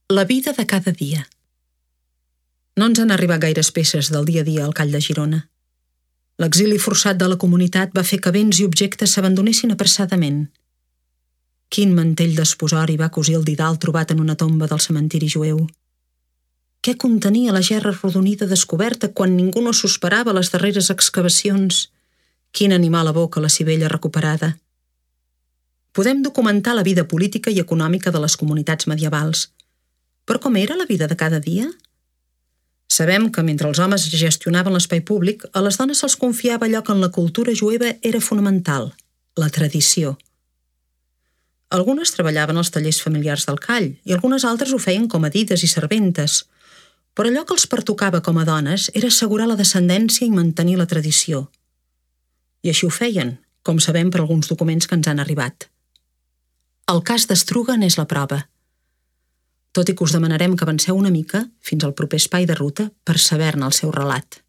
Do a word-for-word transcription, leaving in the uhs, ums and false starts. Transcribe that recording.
La vida de cada dia. No ens han arribat gaires peces del dia a dia al Call de Girona. L'exili forçat de la comunitat va fer que béns i objectes s'abandonessin apressadament. Quin mantell d'esposori va cosir el didal trobat en una tomba del cementiri jueu? Què contenia la gerra arrodonida descoberta quan ningú no s'esperava les darreres excavacions? Quin animal evoca la sivella recuperada? Podem documentar la vida política i econòmica de les comunitats medievals. Però com era la vida de cada dia? Sabem que mentre els homes gestionaven l'espai públic, a les dones se'ls confiava allò que en la cultura jueva era fonamental, la tradició. Algunes treballaven als tallers familiars del Call i algunes altres ho feien com a dides i serventes, però allò que els pertocava com a dones era assegurar la descendència i mantenir la tradició. I així ho feien, com sabem per alguns documents que ens han arribat. El cas d'Estruga n'és la prova. Tot i que us demanarem que avanceu una mica fins al proper espai de ruta per saber-ne el seu relat.